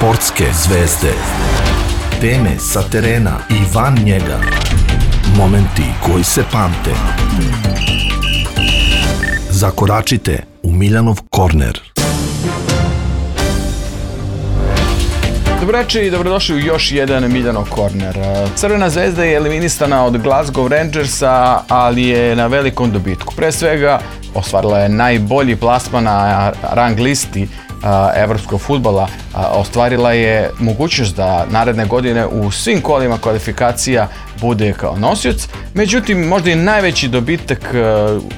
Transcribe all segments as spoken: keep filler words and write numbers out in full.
Sportske zvezde. Teme sa terena i van njega. Momenti koji se pamte. Zakoračite u Miljanov korner. Dobroveče i dobrodošli u još jedan Miljanov korner. Crvena zvezda je eliminisana od Glasgow Rangersa, ali je na velikom dobitku. Pre svega, ostvarila je najbolji plasman na rang listi evropskog fudbala, ostvarila je mogućnost da naredne godine u svim kolima kvalifikacija bude kao nosioc. Međutim, možda i najveći dobitak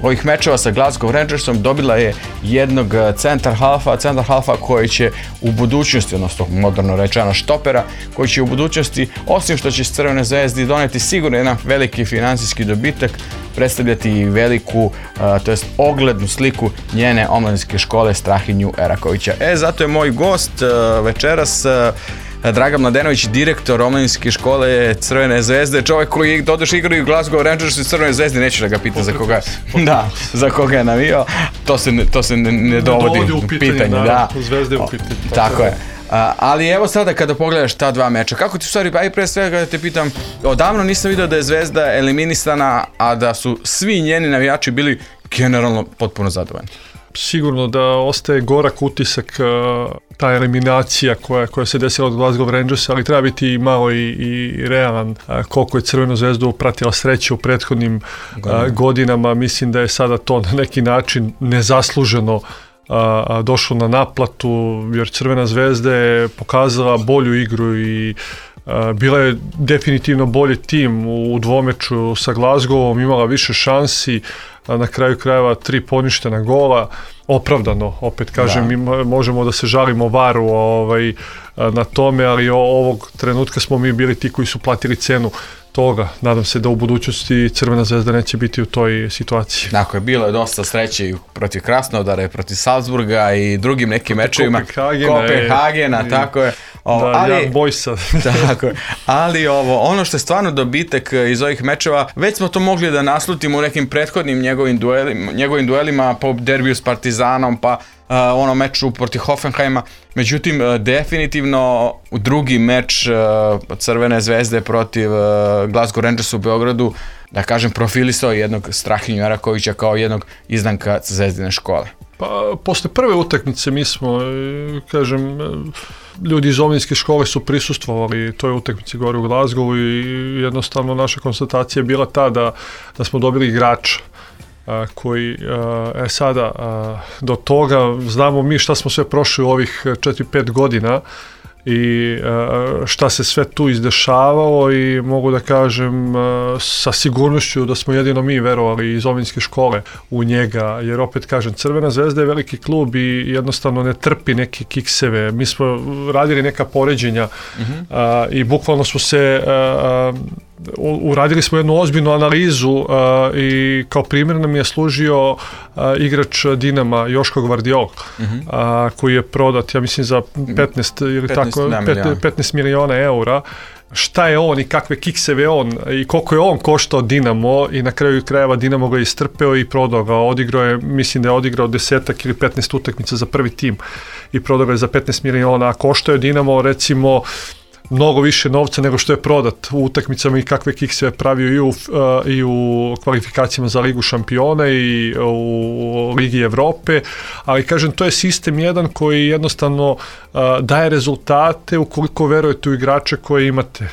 ovih mečeva sa Glasgow Rangersom dobila je jednog centar halfa, centar halfa koji će u budućnosti, odnosno moderno rečeno štopera, koji će u budućnosti, osim što će Crvenoj zvezdi doneti sigurno jedan veliki financijski dobitak, predstavljati veliku, to jest oglednu sliku njene omladinske škole Strahinju Erakovića. E, zato je moj gost večeras Dragan Mladenović, direktor omladinske škole Crvene zvezde, čovjek koji doduše igra i u Glasgow Rangersu i Crvenoj zvezdi, neću da ga pitam za koga, da, za koga je navio, to se, to se ne, ne dovodi u pitanje, pitanje da. Zvezde u pitanje. Tako, tako je. A, ali evo sada kada pogledaš ta dva meča, kako ti u stvari, aj pre svega da te pitam, odavno nisam vidio da je Zvezda eliminisana, a da su svi njeni navijači bili generalno potpuno zadovoljni. Sigurno da ostaje gorak utisak ta eliminacija koja, koja se desila od Glasgow Rangersa, ali treba biti malo i, i realan koliko je Crvenu zvezdu pratila sreće u prethodnim Godina. godinama. Mislim da je sada to na neki način nezasluženo A, a, došlo na naplatu, jer Crvena zvezda je pokazala bolju igru i a, bila je definitivno bolji tim u, u dvomeču sa Glasgowom, imala više šansi, a na kraju krajeva tri poništena gola, opravdano, opet kažem, da. Mi možemo da se žalimo varu ovaj, na tome, ali o, ovog trenutka smo mi bili ti koji su platili cenu toga. Nadam se da u budućnosti Crvena zvezda neće biti u toj situaciji. Dakle, bilo je dosta sreće i protiv Krasnodara, protiv Salzburga i drugim nekim mečevima. Kopenhagena, Kopenhagena je, tako je. O, da, ali, Jan Bojsa. Tako je. Ali ovo, ono što je stvarno dobitak iz ovih mečeva, već smo to mogli da naslutimo u nekim prethodnim njegovim duelima, njegovim duelima po derbiju s Partizanom, pa Uh, ono meču protiv Hoffenheima. Međutim, uh, definitivno u drugi meč uh, Crvene zvezde protiv uh, Glasgow Rangersa u Beogradu, da kažem, profilisao jednog Strahinju Erakovića kao jednog izdanka Zvezdine škole. Pa, posle prve utakmice mi smo, kažem, ljudi iz omladinske škole su prisustvovali toj utakmici gore u Glasgowu i jednostavno naša konstatacija je bila ta da, da smo dobili igrača A, koji, a, e sada, a, do toga znamo mi šta smo sve prošli u ovih četiri pet godina i a, šta se sve tu izdešavalo i mogu da kažem a, sa sigurnošću da smo jedino mi verovali iz omladinske škole u njega, jer opet kažem, Crvena zvezda je veliki klub i jednostavno ne trpi neke kikseve. Mi smo radili neka poređenja mm-hmm. a, i bukvalno smo se a, uradili smo jednu ozbiljnu analizu uh, i kao primjer nam je služio uh, igrač Dinama Joško Gvardiol, mm-hmm. uh, koji je prodat, ja mislim, za petnaest ili petnaest, tako, miliona. petnaest miliona eura. Šta je on i kakve kikseve on i koliko je on koštao Dinamo i na kraju krajeva Dinamo ga je istrpeo i prodao ga. Odigrao je, mislim da je odigrao desetak ili petnaest utakmica za prvi tim i prodao ga je za petnaest miliona, a koštao je Dinamo recimo mnogo više novca nego što je prodat u utakmicama i kakve kikse je pravio i u, uh, i u kvalifikacijama za Ligu šampiona i u Ligi Evrope, ali kažem, to je sistem jedan koji jednostavno uh, daje rezultate ukoliko verujete u igrače koje imate.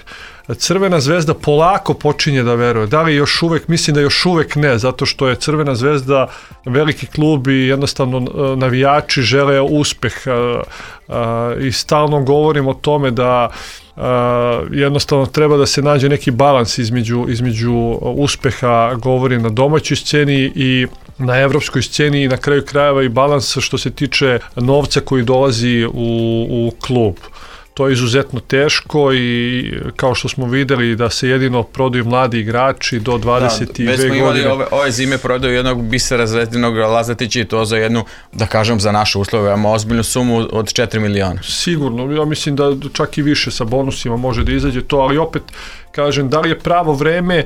Crvena zvezda polako počinje da veruje. Da li još uvek? Mislim da još uvek ne, zato što je Crvena zvezda veliki klub i jednostavno navijači žele uspeh. I stalno govorim o tome da jednostavno treba da se nađe neki balans između, između uspeha, govorim na domaćoj sceni i na evropskoj sceni i na kraju krajeva i balans što se tiče novca koji dolazi u, u klub. To je izuzetno teško i kao što smo videli da se jedino prodaju mladi igrači do dvadeset dve godine. Već smo imali ove, ove zime prodaju jednog Bisera Zvezdinog Lazatića i to za jednu, da kažem, za naše uslove, imamo ozbiljnu sumu od četiri miliona. Sigurno, ja mislim da čak i više sa bonusima može da izađe to, ali opet kažem, da li je pravo vreme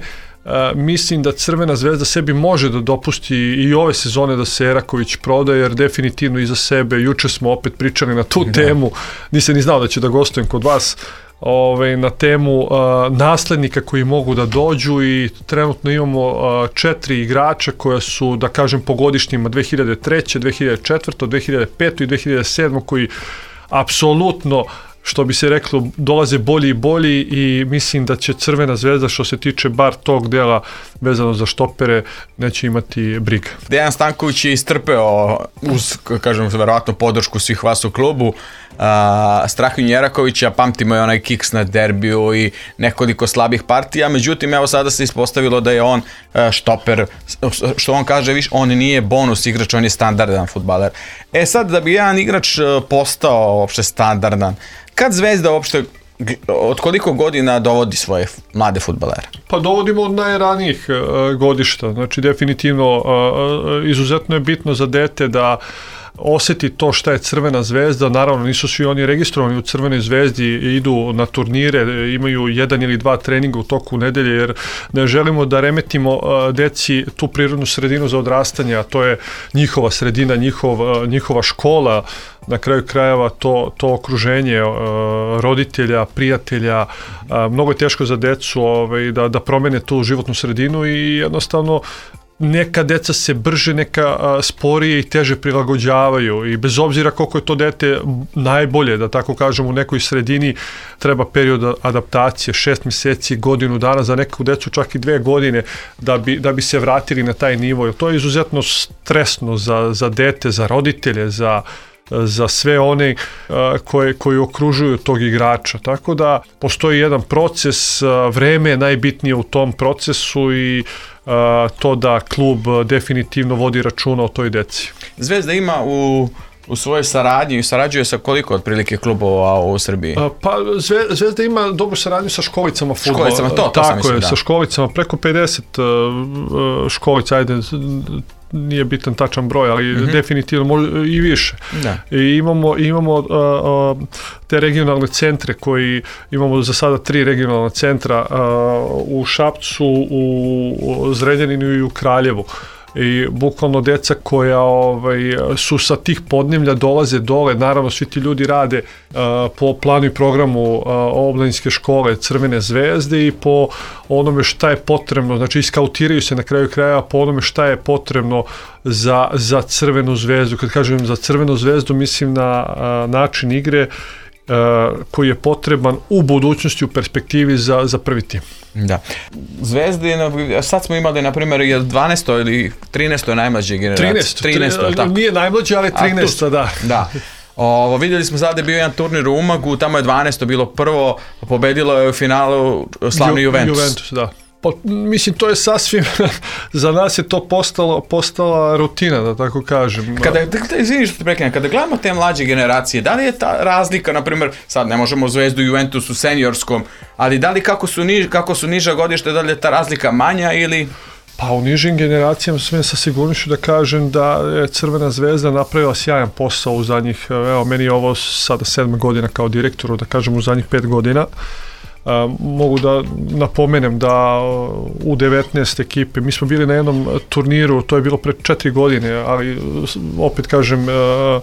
mislim da Crvena zvezda sebi može da dopusti i ove sezone da se Eraković proda, jer definitivno iza sebe, juče smo opet pričali na tu temu, nisam ni znao da će da gostujem kod vas, Ove, na temu uh, naslednika koji mogu da dođu i trenutno imamo uh, četiri igrača koja su, da kažem, po godišnjima dve hiljade treće, dve hiljade četvrte, dve hiljade pete i dve hiljade sedme koji apsolutno, što bi se reklo, dolaze bolji i bolji i mislim da će Crvena zvezda, što se tiče bar tog dela vezano za štopere, neće imati briga. Dejan Stanković je istrpeo uz, kažem, verovatno podršku svih vas u klubu, Uh, Strahinju Jerakovića, pamtimo je onaj kiks na derbiju i nekoliko slabih partija, međutim evo sada se ispostavilo da je on uh, štoper, što on kaže, viš, on nije bonus igrač, on je standardan fudbaler. E sad, da bi jedan igrač uh, postao uopšte standardan, kad Zvezda uopšte od koliko godina dovodi svoje mlade fudbalere? Pa dovodimo od najranijih uh, godišta, znači definitivno uh, izuzetno je bitno za dete da osjeti to šta je Crvena zvezda. Naravno nisu svi oni registrovani u Crvenoj zvezdi, idu na turnire, imaju jedan ili dva treninga u toku nedelje, jer ne želimo da remetimo deci tu prirodnu sredinu za odrastanje, a to je njihova sredina, njihov, njihova škola, na kraju krajeva to, to okruženje roditelja, prijatelja. Mnogo je teško za decu ovaj, da, da promene tu životnu sredinu i jednostavno neka deca se brže, neka a, sporije i teže prilagođavaju i bez obzira koliko je to dete najbolje, da tako kažem, u nekoj sredini treba period adaptacije, šest mjeseci, godinu dana, za neku decu čak i dve godine da bi, da bi se vratili na taj nivo. To je izuzetno stresno za, za dete, za roditelje, za za sve one uh, koje, koji okružuju tog igrača. Tako da postoji jedan proces, uh, vreme je najbitnije u tom procesu i uh, to da klub definitivno vodi računa o toj deci. Zvezda ima u u svojoj saradnji i sarađuje sa koliko otprilike klubova u Srbiji? A, pa Zvezda ima dobru saradnju sa školicama fudbala. Školicama, to, to Tako sam mislim, je, da. sa školicama, preko pedeset uh, školica, ajde, nije bitan tačan broj, ali mm-hmm. definitivno može i više. Da. I imamo, imamo uh, uh, te regionalne centre koji, imamo za sada tri regionalna centra uh, u Šapcu, u Zrenjaninu i u Kraljevu. I bukvalno deca koja ovaj, su sa tih podneblja dolaze dole, naravno svi ti ljudi rade uh, po planu i programu uh, omladinske škole Crvene zvezde i po onome šta je potrebno, znači iskautiraju se na kraju kraja po onome šta je potrebno za, za Crvenu zvezdu. Kad kažem za Crvenu zvezdu mislim na uh, način igre Uh, koji je potreban u budućnosti, u perspektivi za, za prvi tim. Da. Zvezda je, sad smo imali na primjer dvanaesto ili trinaesto najmlađe generacije. trinaesto, trinaesto, tri, nije najmlađe, ali trinaesto, da. Da. Ovo, vidjeli smo sada da je bio jedan turnir u Umagu, tamo je dvanaesto bilo prvo, pobedilo je u finalu slavni Ju, Juventus. Juventus, da. Pa, mislim, to je sasvim, za nas je to postalo, postala rutina, da tako kažem. Kada, izvini što te prekinem, kada gledamo te mlađe generacije, da li je ta razlika, na primjer, sad ne možemo Zvezdu i Juventus u seniorskom, ali da li kako su, niž, kako su niža godište, da li je ta razlika manja ili... Pa u nižim generacijama smijem sa sigurnošću da kažem da je Crvena zvezda napravila sjajan posao u zadnjih, evo meni je ovo sada sedma godina kao direktoru, da kažem u zadnjih pet godina. Uh, mogu da napomenem da u devetnaest ekipe, mi smo bili na jednom turniru, to je bilo pre četiri godine, ali opet kažem, uh,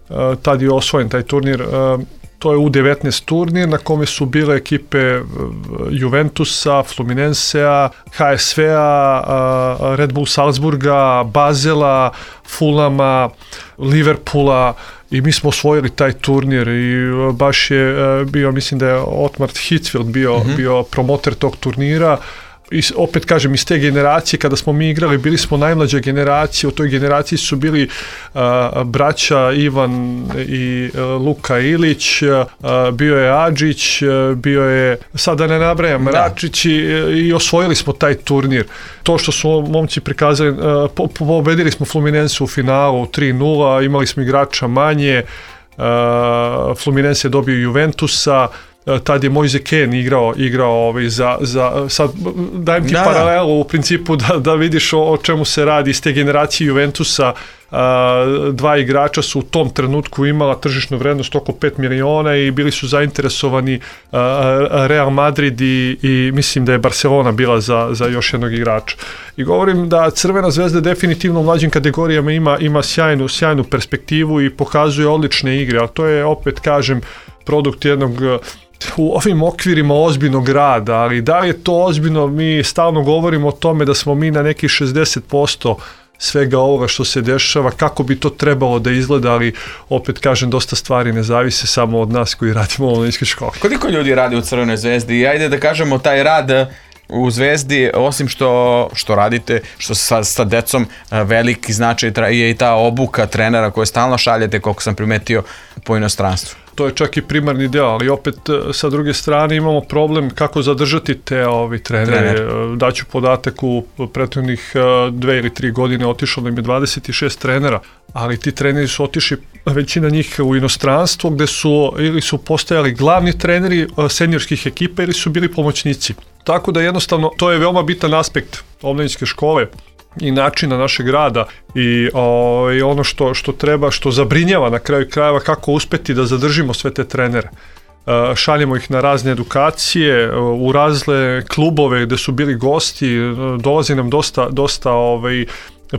uh, tad je osvojen taj turnir, uh, to je u devetnaest turnir na kome su bile ekipe Juventusa, Fluminensea, H S V-a, uh, Red Bull Salzburga, Basela, Fulama, Liverpoola, i mi smo osvojili taj turnir i baš je bio, mislim da je Otmar Hitzfeld bio, mm-hmm. bio promoter tog turnira. I opet kažem, iz te generacije kada smo mi igrali, bili smo najmlađa generacija, u toj generaciji su bili uh, braća Ivan i uh, Luka Ilić, uh, bio je Adžić, uh, bio je, sad da ne nabrajam, Račić i, i osvojili smo taj turnir. To što su momci prikazali, uh, po, pobedili smo Fluminense u finalu tri nula, imali smo igrača manje, uh, Fluminense je dobio Juventusa, tad je Moise Kean igrao, igrao ovaj, za, za, sad dajem ti da, paralelu u principu da, da vidiš o, o čemu se radi iz te generacije Juventusa. Uh, dva igrača su u tom trenutku imala tržišnu vrednost oko pet miliona i bili su zainteresovani uh, Real Madrid i, i mislim da je Barcelona bila za, za još jednog igrača. I govorim da Crvena zvezda definitivno u mlađim kategorijama ima, ima sjajnu, sjajnu perspektivu i pokazuje odlične igre, ali to je, opet kažem, produkt jednog u ovim okvirima ozbiljnog rada, ali da li je to ozbiljno, mi stalno govorimo o tome da smo mi na nekih šezdeset posto svega ovoga što se dešava, kako bi to trebalo da izgleda, ali opet kažem, dosta stvari ne zavise samo od nas koji radimo u omladinskoj školi. Koliko ljudi radi u Crvenoj zvezdi? I ajde da kažemo, taj rad u Zvezdi, osim što, što radite, što sa, sa decom, veliki značaj je i ta obuka trenera koje stalno šaljete, koliko sam primetio, po inostranstvu. To je čak i primarni deo, ali opet sa druge strane imamo problem kako zadržati te ovi trenere. Trener. Daću podatak, u prethodnih dve ili tri godine otišlo nam je dvadeset šest trenera, ali ti treneri su otišli, većina njih, u inostranstvo, gde su ili su postajali glavni treneri seniorskih ekipa ili su bili pomoćnici. Tako da jednostavno to je veoma bitan aspekt omladinske škole i načina našeg rada i o, i ono što, što treba, što zabrinjava na kraju krajeva, kako uspeti da zadržimo sve te trenere. E, šaljemo ih na razne edukacije, u razne klubove gde su bili gosti, dolazi nam dosta, dosta ovaj,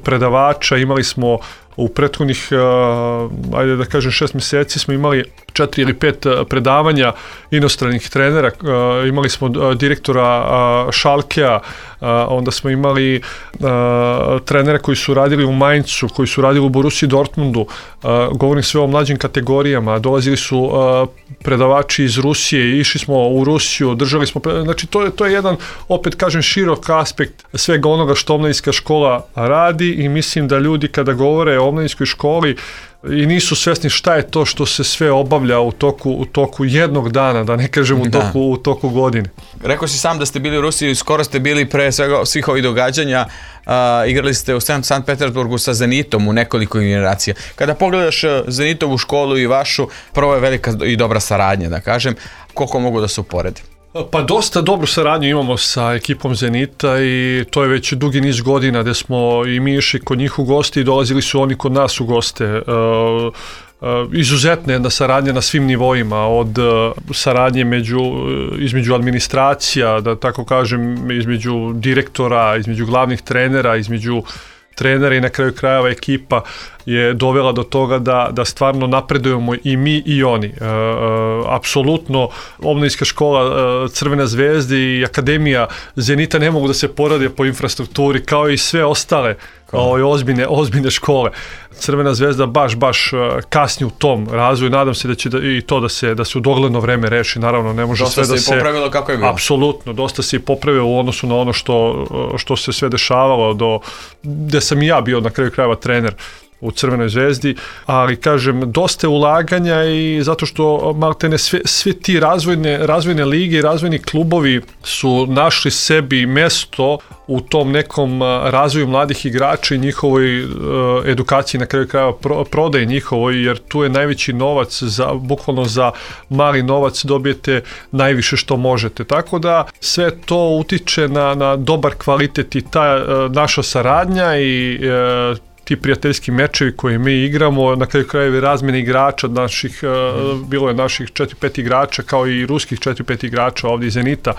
predavača, imali smo u prethodnih, uh, ajde da kažem, šest mjeseci smo imali četiri ili pet predavanja inostranih trenera, uh, imali smo uh, direktora uh, Schalkea, uh, onda smo imali uh, trenere koji su radili u Mainzu, koji su radili u Borussiji Dortmundu, uh, govorim sve o mlađim kategorijama, dolazili su uh, predavači iz Rusije, išli smo u Rusiju, držali smo, znači to je, to je jedan, opet kažem, širok aspekt svega onoga što omladinska škola radi i mislim da ljudi kada govore o omladinskoj školi i nisu svesni šta je to što se sve obavlja u toku, u toku jednog dana, da ne kažem u toku, u toku godine. Rekao si sam da ste bili u Rusiji, skoro ste bili pre svega svih ovih događanja, uh, igrali ste u Sankt Petersburgu sa Zenitom u nekoliko generacija. Kada pogledaš Zenitovu školu i vašu, prvo je velika i dobra saradnja, da kažem, koliko mogu da se uporedi? Pa dosta dobru saradnju imamo sa ekipom Zenita i to je već dugi niz godina gde smo i mi išli kod njih u goste i dolazili su oni kod nas u goste. E, e, izuzetna jedna saradnja na svim nivoima, od saradnje među, između administracija, da tako kažem, između direktora, između glavnih trenera, između trenera i na kraju krajeva ekipa je dovela do toga da, da stvarno napredujemo i mi i oni. E, e, apsolutno, omladinska škola e, Crvena zvezda i Akademija Zenita ne mogu da se porade po infrastrukturi kao i sve ostale o, ozbiljne, ozbiljne škole. Crvena zvezda baš, baš kasni u tom razvoju. Nadam se da će da, i to da se, da se u dogledno vreme reši. Naravno, ne može dosta sve da se... Dosta se popravilo kako je bilo. Apsolutno, dosta se i popravilo u odnosu na ono što, što se sve dešavalo, do, gde sam i ja bio na kraju krajeva trener u Crvenoj zvezdi, ali kažem, dosta ulaganja i zato što maltene sve, sve ti razvojne, razvojne lige i razvojni klubovi su našli sebi mesto u tom nekom razvoju mladih igrača i njihovoj uh, edukaciji, na kraju krajeva pro, prodaje njihovoj, jer tu je najveći novac, za, bukvalno za mali novac dobijete najviše što možete. Tako da sve to utiče na, na dobar kvalitet i ta uh, naša saradnja i uh, ti prijateljski mečevi koje mi igramo, na kraju krajeva razmjene igrača naših, mm. bilo je naših četiri pet igrača, kao i ruskih četiri pet igrača ovdje iz Zenita,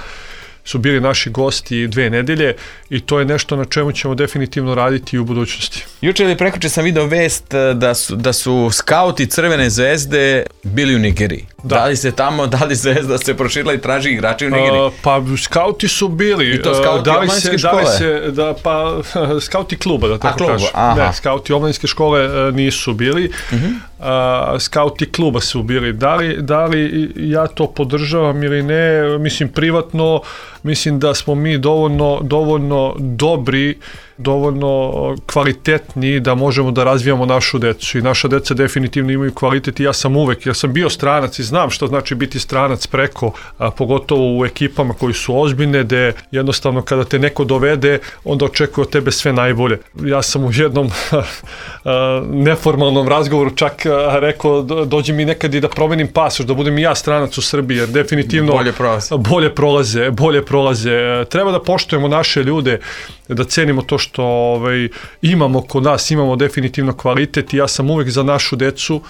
su bili naši gosti dve nedelje i to je nešto na čemu ćemo definitivno raditi i u budućnosti. Juče ili prekjuče sam video vest da su, da su skauti Crvene zvezde bili u Nigeriji. Da. da li se tamo, da li Zvezda se proširila i traži igrače u Nigeriji? Uh, pa skauti su bili. I to skauti da omladinske škole? Da li se, da, pa skauti kluba, da tako kažem. Ne, skauti omladinske škole nisu bili. Uh-huh. Uh, skauti kluba su bili. Da li, da li ja to podržavam ili ne, mislim privatno, mislim da smo mi dovoljno, dovoljno dobri, dovoljno kvalitetni da možemo da razvijamo našu decu i naša deca definitivno imaju kvalitet i ja sam uvek, ja sam bio stranac i znam što znači biti stranac preko, a, pogotovo u ekipama koji su ozbiljne, gde jednostavno kada te neko dovede, onda očekuje od tebe sve najbolje. Ja sam u jednom a, neformalnom razgovoru čak a, rekao dođi mi nekad i da promenim pasoš, da budem i ja stranac u Srbiji, jer definitivno bolje prolaze. Bolje prolaze, bolje prolaze. Treba da poštujemo naše ljude, da cenimo to što ovaj, imamo kod nas, imamo definitivno kvalitet i ja sam uvek za našu decu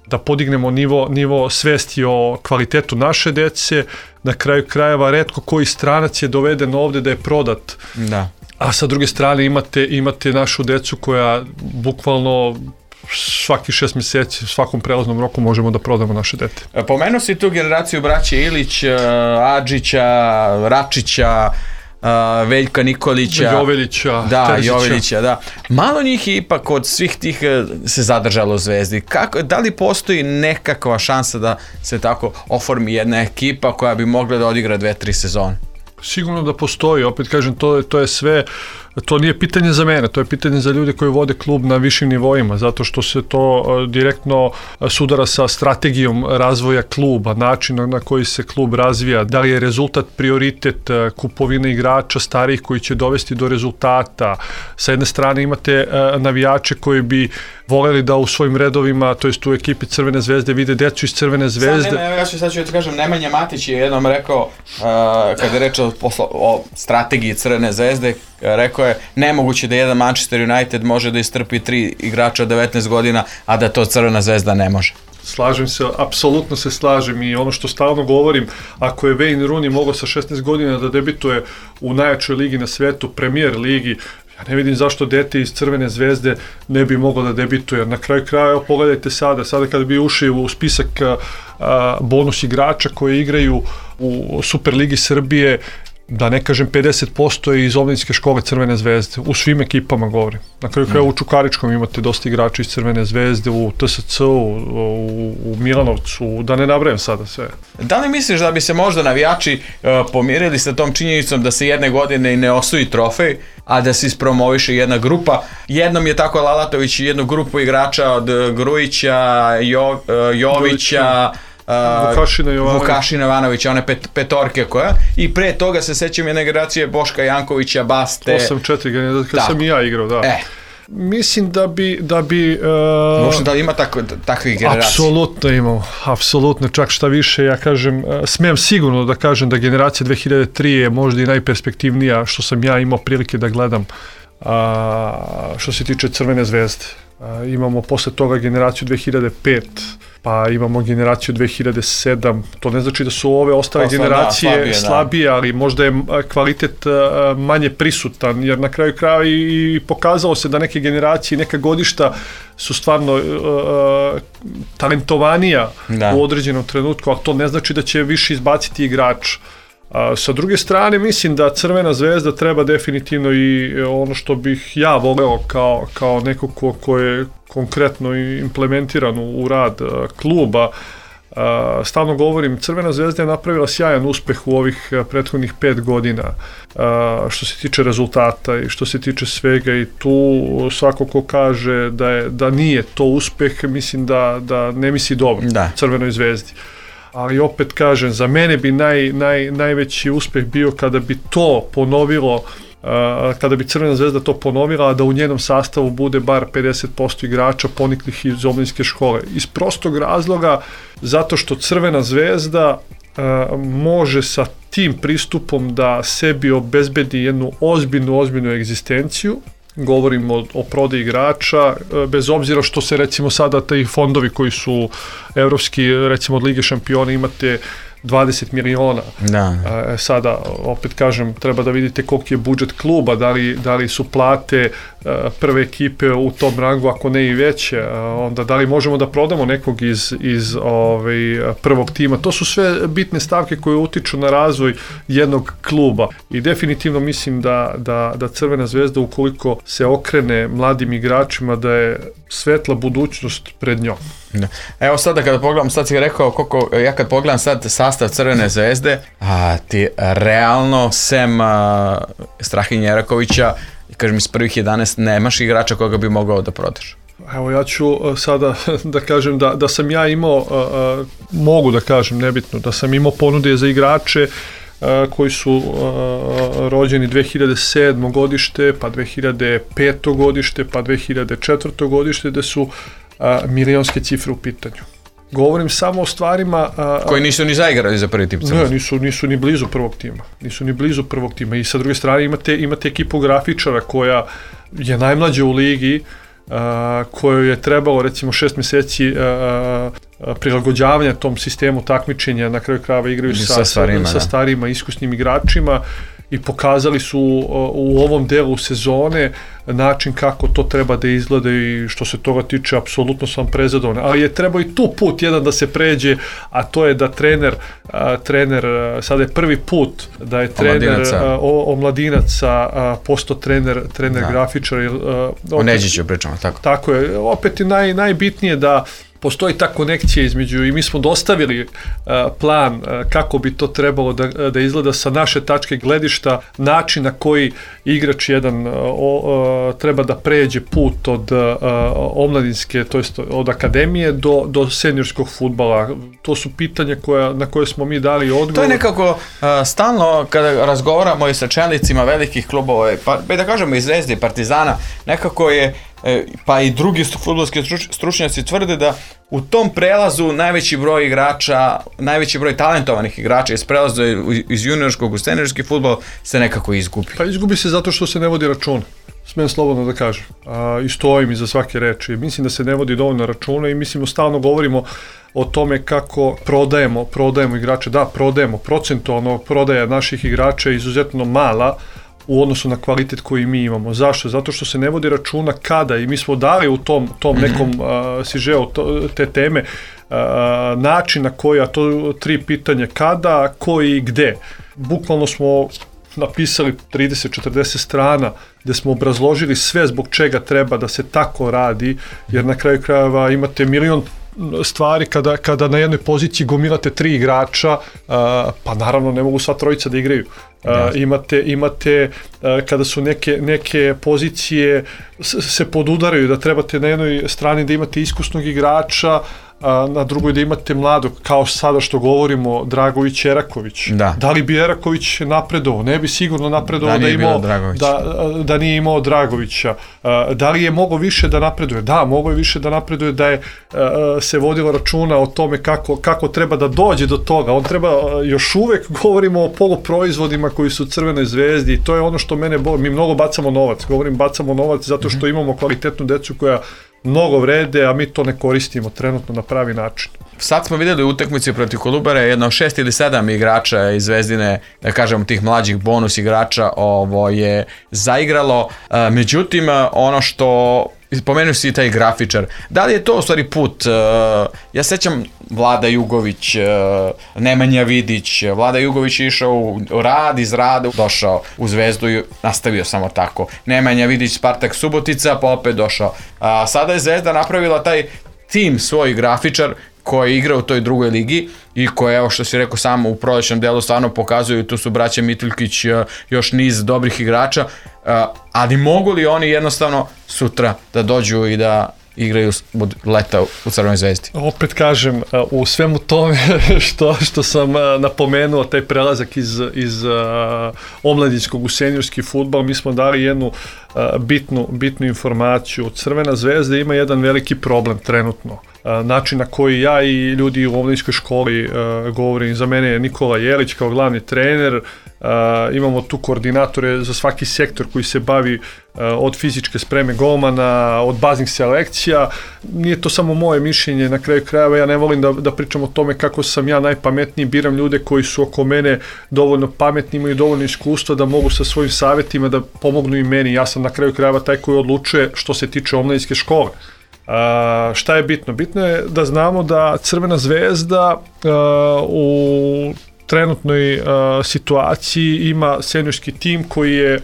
da podignemo nivo, nivo svesti o kvalitetu naše dece. Na kraju krajeva retko koji stranac je doveden ovde da je prodat. Da. A sa druge strane imate, imate našu decu koja bukvalno svaki šest mjeseci, svakom prelaznom roku možemo da prodamo naše dete. Pomenuo si tu generaciju braće Ilić, Adžića, Račića, Uh, Veljka Nikolića, Jovelića, da, Terzića. Jovelića, da. Malo njih je ipak od svih tih se zadržalo u Zvezdi. Kako, da li postoji nekakva šansa da se tako oformi jedna ekipa koja bi mogla da odigra dve, tri sezone? Sigurno da postoji, opet kažem, to je, to je sve, to nije pitanje za mene, to je pitanje za ljude koji vode klub na višim nivoima, zato što se to direktno sudara sa strategijom razvoja kluba, način na koji se klub razvija, da li je rezultat prioritet kupovine igrača starijih koji će dovesti do rezultata. Sa jedne strane imate navijače koji bi voljeli da u svojim redovima, to jest u ekipi Crvene zvezde, vide decu iz Crvene zvezde. Sad, ne, ja ću, sad ću ti kažem, Nemanja Matić je jednom rekao, uh, kada je rečeo o, o strategiji Crvene zvezde, rekao je, nemoguće da jedan Manchester United može da istrpi tri igrača od devetnaest godina, a da to Crvena zvezda ne može. Slažem se, apsolutno se slažem i ono što stalno govorim, ako je Wayne Rooney mogao sa šesnaest godina da debituje u najjačoj ligi na svetu, Premier ligi, ja ne vidim zašto dete iz Crvene zvezde ne bi moglo da debituje. Na kraju kraja, pogledajte sada, sada kada bi ušli u spisak a, bonus igrača koji igraju u Superligi Srbije, da ne kažem pedeset posto iz omladinske škole Crvene zvezde, u svim ekipama govorim. Na kraju kraja u Čukaričkom imate dosta igrača iz Crvene zvezde, u T S C-u, u, u Milanovcu, da ne nabrajam sada sve. Da li misliš da bi se možda navijači uh, pomirili sa tom činjenicom da se jedne godine i ne osvoji trofej, a da se ispromoviše jedna grupa? Jednom je tako Lalatović jednu grupu igrača od Grujića, jo, uh, Jovića, Uh, Vukašina Jovanović. Vukašina Jovanovića, one pet, petorke koja, i pre toga se sećam jedne generacije Boška Jankovića, Baste. osam četiri generacije, kad sam i ja igrao, da. E. Mislim da bi... Da bi uh, Možda da li ima tako, takvih generacija? Apsolutno imamo, apsolutno, čak šta više, ja kažem, uh, smem sigurno da kažem da generacija dve hiljade tri je možda i najperspektivnija što sam ja imao prilike da gledam uh, što se tiče Crvene zvezde. Uh, imamo posle toga generaciju dve hiljade pet, pa imamo generaciju dve hiljade sedam, to ne znači da su ove ostale Osla, generacije da, slabije, slabije, ali možda je kvalitet manje prisutan, jer na kraju kraja i pokazalo se da neke generacije, neka godišta su stvarno uh, talentovanija da. U određenom trenutku, ali to ne znači da će više izbaciti igrač. A sa druge strane, mislim da Crvena zvezda treba definitivno i ono što bih ja voleo kao, kao neko ko, ko je konkretno implementiran u, u rad a, kluba. A, stalno govorim, Crvena zvezda je napravila sjajan uspeh u ovih a, prethodnih pet godina a, što se tiče rezultata i što se tiče svega, i tu svako ko kaže da, je, da nije to uspeh, mislim da, da ne misli dobro da. Crvenoj zvezdi. Ali opet kažem, za mene bi naj, naj, najveći uspeh bio kada bi to ponovilo, uh, kada bi Crvena zvezda to ponovila, a da u njenom sastavu bude bar pedeset posto igrača poniklih iz omladinske škole. Iz prostog razloga, zato što Crvena zvezda uh, može sa tim pristupom da sebi obezbedi jednu ozbiljnu, ozbiljnu egzistenciju. Govorimo o, o prodaji igrača, bez obzira što se recimo sada taj fondovi koji su evropski, recimo od Lige šampiona, imate dvadeset miliona. Da. E, sada, opet kažem, treba da vidite koliki je budžet kluba, da li, da li su plate e, prve ekipe u tom rangu, ako ne i veće, e, onda da li možemo da prodamo nekog iz, iz ovaj, prvog tima. To su sve bitne stavke koje utiču na razvoj jednog kluba i definitivno mislim da, da, da Crvena zvezda, ukoliko se okrene mladim igračima, da je svetla budućnost pred njom. Da. Evo sada kada pogledam, sad si rekao koliko, ja kad pogledam sad sastav Crvene zvezde, a ti realno sem a, Strahinje Erakovića, kažem iz prvih jedanaest nemaš igrača koga bi mogao da prodaš. Evo ja ću sada da kažem da, da sam ja imao, a, mogu da kažem, nebitno, da sam imao ponude za igrače a, koji su a, rođeni dve hiljade sedmo godište, pa dve hiljade peto godište, pa dve hiljade četvrto godište, gde su a, milionske cifre u pitanju. Govorim samo o stvarima... A, koji nisu ni zaigrali za prvi tim Crvene. Ne, nisu, nisu ni blizu prvog tima. Nisu ni blizu prvog tima. I sa druge strane imate, imate ekipu grafičara koja je najmlađa u ligi, a, kojoj je trebalo recimo šest mjeseci a, a, prilagođavanja tom sistemu takmičenja, na kraju krajeva igraju sa, sa, starima, sa starima iskusnim igračima i pokazali su u ovom delu sezone način kako to treba da izgleda i što se toga tiče apsolutno sam prezadovoljan. Ali je trebao i tu put jedan da se pređe, a to je da trener, a, trener sada je prvi put da je trener omladinaca, omladinaca postao trener, trener da. grafičar. A, o Neđiću pričamo, tako. Tako je, opet je naj, najbitnije da postoji ta konekcija između i mi smo dostavili uh, plan uh, kako bi to trebalo da, da izgleda sa naše tačke gledišta, način na koji igrač jedan uh, uh, treba da pređe put od uh, omladinske, to jest od akademije do, do seniorskog fudbala. To su pitanja koja, na koje smo mi dali odgovor. To je nekako uh, stalno kada razgovaramo i sa čelnicima velikih klubova, pa da kažemo i Zvezde i Partizana, nekako je pa i drugi fudbalski stručnjaci tvrde da u tom prelazu najveći broj igrača, najveći broj talentovanih igrača iz prelaza iz juniorskog u seniorski fudbal se nekako izgubi. Pa izgubi se zato što se ne vodi računa. Smijem slobodno da kažem. A, I stojim iza svake reči. Mislim da se ne vodi dovoljno računa i mislimo stalno govorimo o tome kako prodajemo, prodajemo igrače. Da, prodajemo. Procentualno prodaja naših igrača je izuzetno mala u odnosu na kvalitet koji mi imamo. Zašto? Zato što se ne vodi računa kada, i mi smo dali u tom, tom nekom uh, sižeu te teme uh, način na koji, a to tri pitanja kada, koji i gde. Bukvalno smo napisali trideset četrdeset strana gde smo obrazložili sve zbog čega treba da se tako radi, jer na kraju krajeva imate milion stvari kada, kada na jednoj poziciji gomilate tri igrača, uh, pa naravno ne mogu sva trojica da igraju. Uh, imate, imate uh, kada su neke, neke pozicije s, se podudaraju, da trebate na jednoj strani da imate iskusnog igrača, a na drugoj da imate mladog, kao sada što govorimo, Dragović, Eraković. Da. Da li bi Eraković napredovao? Ne bi sigurno napredovao da, da, imao, da, da nije imao Dragovića. Da li je mogao više da napreduje? Da, mogao je više da napreduje, da je se vodilo računa o tome kako, kako treba da dođe do toga. On treba, još uvek govorimo o poluproizvodima koji su Crvenoj zvezdi i to je ono što mene boli. Mi mnogo bacamo novac. Govorim bacamo novac zato što imamo kvalitetnu decu koja mnogo vrede, a mi to ne koristimo trenutno na pravi način. Sad smo vidjeli u utakmici protiv Kolubare jedno šest ili sedam igrača iz Zvezdine, da kažemo tih mlađih bonus igrača ovo je zaigralo, međutim ono što spomenuo si taj grafičar, da li je to u stvari put, ja sećam Vlada Jugović, Nemanja Vidić, Vlada Jugović je išao u rad, iz rada došao u Zvezdu i nastavio samo tako, Nemanja Vidić, Spartak Subotica, pa opet došao, a sada je Zvezda napravila taj tim svoj grafičar koji igra u toj drugoj ligi i koje, evo što si rekao samo u prolećnom delu stvarno pokazuju, tu su braća Mituljkić, još niz dobrih igrača, ali mogu li oni jednostavno sutra da dođu i da igraju od leta u Crvenoj zvezdi? Opet kažem, u svemu tome što, što sam napomenuo, taj prelazak iz, iz uh, omladinskog u seniorski fudbal, mi smo dali jednu uh, bitnu, bitnu informaciju. Crvena zvezda ima jedan veliki problem trenutno. Uh, način na koji ja i ljudi u omladinskoj školi uh, govorim, za mene je Nikola Jelić kao glavni trener, uh, imamo tu koordinatore za svaki sektor koji se bavi uh, od fizičke spreme golmana, od baznih selekcija. Nije to samo moje mišljenje, na kraju krajeva ja ne volim da, da pričam o tome kako sam ja najpametniji, biram ljude koji su oko mene dovoljno pametni, imaju dovoljno iskustva da mogu sa svojim savjetima da pomognu i meni. Ja sam na kraju krajeva taj koji odlučuje što se tiče omladinske škole. Uh, šta je bitno? Bitno je da znamo da Crvena zvezda uh, u trenutnoj uh, situaciji ima seniorski tim koji je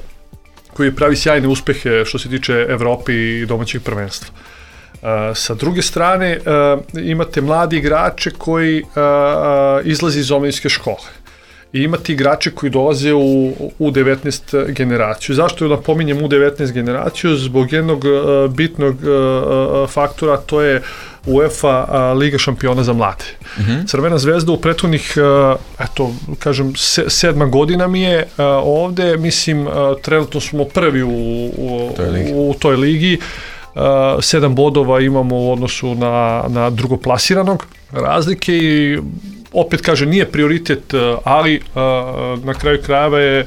koji pravi sjajne uspehe što se tiče Evrope i domaćeg prvenstva. Uh, Sa druge strane, imate mladi igrače koji izlazi iz omladinske škole. I imate igrače koji dolaze u U devetnaest generaciju. Zašto napominjem U devetnaest generaciju? Zbog jednog bitnog faktora, to je UEFA Liga šampiona za mlade. Mm-hmm. Crvena zvezda u prethodnih, eto, kažem, sedma godina mi je ovde, mislim, trenutno smo prvi u, u, toj, ligi. u toj ligi. Uh, sedam bodova imamo u odnosu na, na drugoplasiranog razlike i opet kaže nije prioritet, ali uh, na kraju krajeva je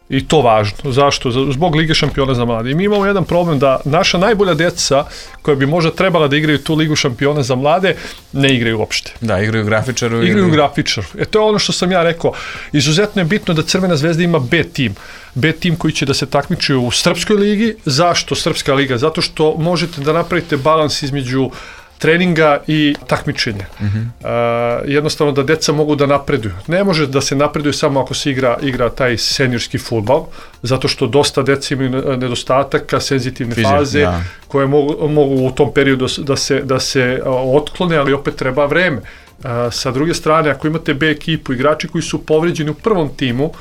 i to važno. Zašto? Zbog Lige šampiona za mlade. I mi imamo jedan problem da naša najbolja deca koja bi možda trebala da igraju tu Ligu šampiona za mlade, ne igraju uopšte. Da, igraju grafičaru. Igraju ili... grafičaru. E to je ono što sam ja rekao. Izuzetno je bitno da Crvena zvezda ima B tim. B tim koji će da se takmiči u Srpskoj ligi. Zašto Srpska liga? Zato što možete da napravite balans između treninga i takmičenja. Mm-hmm. Uh, jednostavno da deca mogu da napreduju. Ne može da se napreduje samo ako se igra, igra taj seniorski fudbal, zato što dosta deca imaju nedostataka, senzitivne Fizik, faze, ja. koje mogu, mogu u tom periodu da se, da se uh, otklone, ali opet treba vreme. Uh, sa druge strane, ako imate B ekipu, igrači koji su povređeni u prvom timu,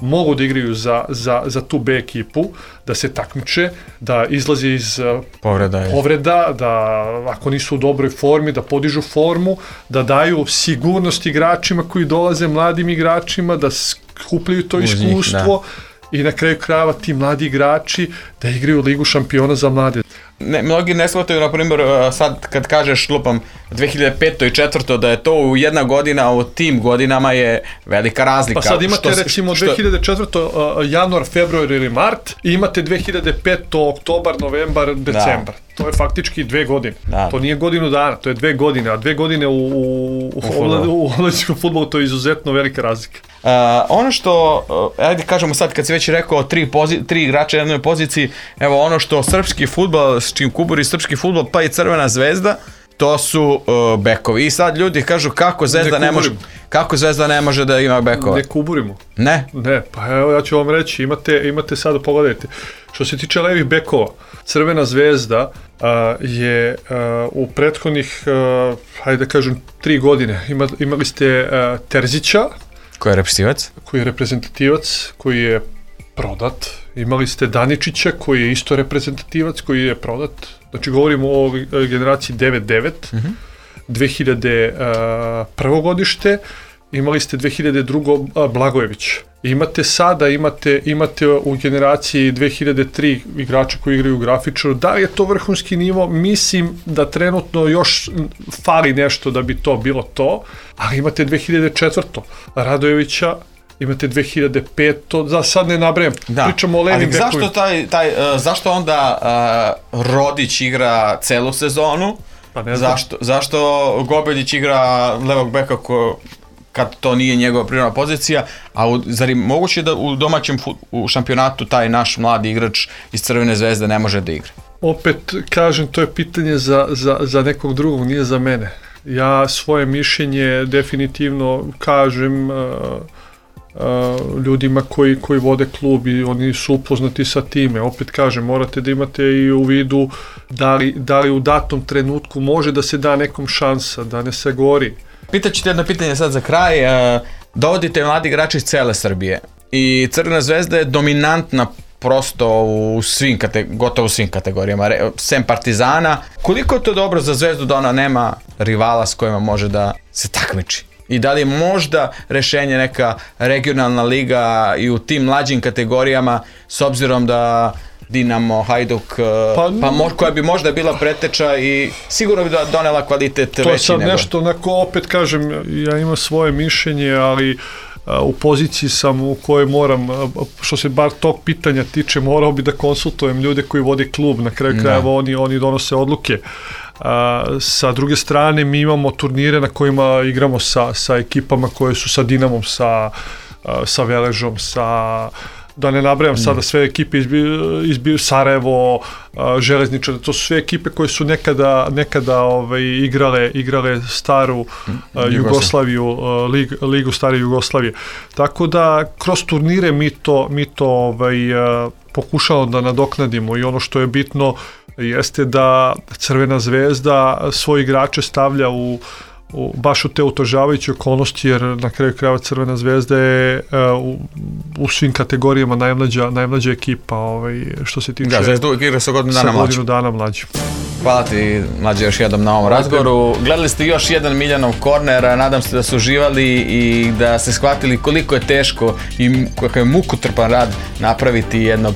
mogu da igraju za, za, za tu B ekipu, da se takmiče, da izlazi iz povreda, povreda, da ako nisu u dobroj formi, da podižu formu, da daju sigurnost igračima koji dolaze, mladim igračima, da skupljaju to Uz iskustvo njih, i na kraju krajeva ti mladi igrači da igraju Ligu šampiona za mlade. Ne, mnogi ne shvataju, na primjer, sad kad kažeš lupam dve hiljade pete i četvrte da je to u jedna godina, a u tim godinama je velika razlika. Pa sad imate što, recimo što... dve hiljade četvrte uh, januar, februar ili mart i imate dve hiljade pete oktobar, novembar, decembar. Da. To je faktički dve godine. Da. To nije godinu dana, to je dve godine, a dve godine u, u, u omladinskom fudbalu to je izuzetno velika razlika. Uh, ono što, uh, ajde kažemo sad kad si već rekao tri, pozi- tri igrača na jednoj poziciji, evo ono što srpski fudbal, s čim kuburi srpski fudbal pa i Crvena zvezda, to su uh, bekovi. I sad ljudi kažu kako Zvezda ne, ne može kako Zvezda ne može da ima bekova. Ne kuburimo. Ne? Ne, pa evo ja ću vam reći, imate, imate sad, pogledajte, što se tiče levih bekova, Crvena zvezda uh, je uh, u prethodnih, uh, hajde da kažem, tri godine, Ima, imali ste uh, Terzića, koji je reprezentativac, koji je reprezentativac, koji je prodat. Imali ste Daničića koji je isto reprezentativac, koji je prodat. Znači govorimo o generaciji devet devet, mm-hmm. dve hiljade prvo godište, imali ste dve hiljade drugo Blagojević. Imate sada, imate, imate u generaciji dve hiljade tri igrača koji igraju u grafičaru. Da li je to vrhunski nivo? Mislim da trenutno još fali nešto da bi to bilo to, ali imate dve hiljade četvrte Radojevića, imate dve hiljade pete, za sad ne nabrajem, da. Pričamo o levim bekovima. Zašto, taj, taj, uh, zašto onda uh, Rodić igra celu sezonu? Pa ne znam. Zašto, zašto Gobeljić igra levog beka ko, kad to nije njegova prirodna pozicija, a u, zar je moguće da u domaćem fut, u šampionatu taj naš mladi igrač iz Crvene zvezde ne može da igra? Opet kažem, to je pitanje za, za, za nekog drugog, nije za mene. Ja svoje mišljenje definitivno kažem uh, Uh, ljudima koji, koji vode klub i oni su upoznati sa time. Opet kažem, morate da imate i u vidu da li, da li u datom trenutku može da se da nekom šansa, da ne se gori. Pitaću te jedno pitanje sad za kraj. Uh, dovodite mladi igrači iz cele Srbije i Crvena zvezda je dominantna prosto u svim, kate, gotovo u svim kategorijama, sem Partizana. Koliko je to dobro za Zvezdu da ona nema rivala s kojima može da se takmiči? I da li je možda rešenje neka regionalna liga i u tim mlađim kategorijama, s obzirom da Dinamo, Hajduk, pa, pa mo, koja bi možda bila preteča i sigurno bi donela kvalitet veći nego. To sad nego. Nešto, onako, opet kažem, ja imam svoje mišljenje, ali a, u poziciji sam u kojoj moram, a, što se bar tog pitanja tiče, morao bi da konsultujem ljude koji vode klub, na kraju krajeva oni, oni donose odluke. A, sa druge strane mi imamo turnire na kojima igramo sa, sa ekipama koje su sa Dinamom, sa, a, sa Veležom, sa da ne nabrajam sada sve ekipe izbiju Sarajevo, Železničar, to su sve ekipe koje su nekada, nekada ovaj, igrale, igrale staru uh, Jugoslaviju, uh, lig, ligu stare Jugoslavije. Tako da kroz turnire mi to, mi to ovaj, uh, pokušamo da nadoknadimo i ono što je bitno jeste da Crvena zvezda svoje igrače stavlja u U, baš u te utožavajuće okolnosti, jer na kraju krajeva Crvena zvezda je uh, u, u svim kategorijama najmlađa, najmlađa ekipa ovaj, što se tiče... Da, Zvezda uvijek igra sa godinu dana mlađu. dana mlađu. Hvala ti, Mlađe, još jednom na ovom razgovoru. Gledali ste još jedan Miljanov korner, nadam se da su uživali i da ste shvatili koliko je teško i kakav je mukotrpan rad napraviti jednog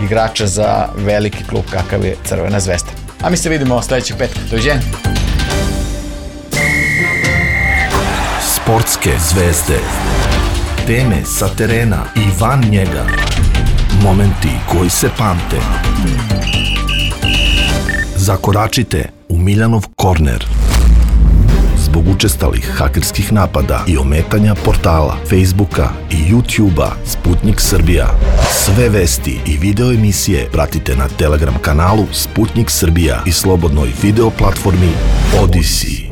igrača za veliki klub kakav je Crvena zvezda. A mi se vidimo sljedećeg petka. Doviđenja. Sportske zvezde. Teme sa terena i van njega. Momenti koji se pamte. Zakoračite u Miljanov korner. Zbog učestalih hakerskih napada i ometanja portala, Facebooka i YouTubea Sputnik Srbija. Sve vesti i video emisije pratite na Telegram kanalu Sputnik Srbija i slobodnoj video platformi Odyssey.